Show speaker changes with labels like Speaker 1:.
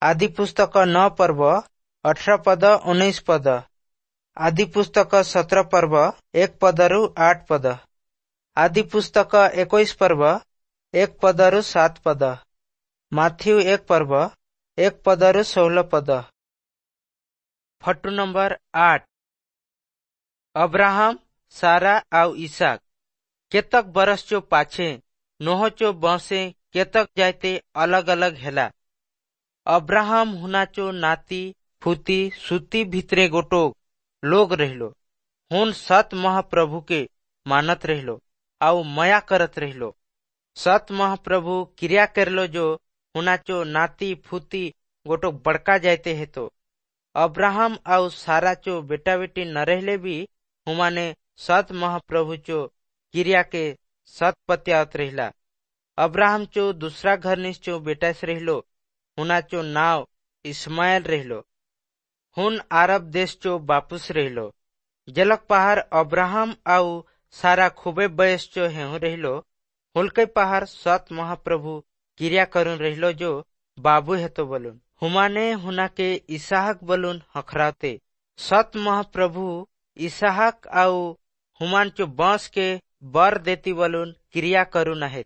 Speaker 1: ଆଦି ପୁସ୍ତକ 9 ପର୍ବ 18 ପଦ 19 ପଦ। ଆଦି ପୁସ୍ତକ 17 ପର୍ବ 1 ପଦରୁ 8 ପଦ। ଆଦି ପୁସ୍ତକ 21 ପର୍ବ 1 ପଦରୁ 7 ପଦ। ମାଥିଉ 1 ପର୍ବ 1 ପଦରୁ 16 ପଦ। Photo number 8। ଅବ୍ରାହମ, ସାରା ଆଉ ଇସାକ। କେତକ ବରଷ ଚୋ ପାଛେ ନୋହ ଚୋ ବଂଶେ କେତକ ଜାଇତେ अलग अलग ହେଲା। अब्राहम हुनाचो नाती फूती सुती भितरे गोटो लोग रहिलो। हुन सत महाप्रभु के मानत रहिलो आउ मया करत रहिलो। सत महाप्रभु क्रिया करलो जो हुनाचो नाती फूती गोटो बड़का जायते हेतो। अब्राहम आउ सारा चो बेटा बेटी न रहले भी हुमाने सत महाप्रभु चो क्रिया के सत पत्यावत रहिला। अब्राहम चो दूसरा घर निश्चो बेटा से रहिलो, हुनाचो नाव इस्माइल रहिलो। हुन अरब देश चो बापुस रहिलो। जलक पहाड़ अब्राहम आउ सारा खूबे बयस चो हेहु रहिलो। हुलके पहाड़ सत महाप्रभु क्रिया करुन रहिलो जो बाबू हेतो बलुन। हुमाने हुना के इसहाक बलुन हखराते। सत महाप्रभु इसहाक आउ हुमान चो बंश के बर देती बलुन क्रिया करुन आहे।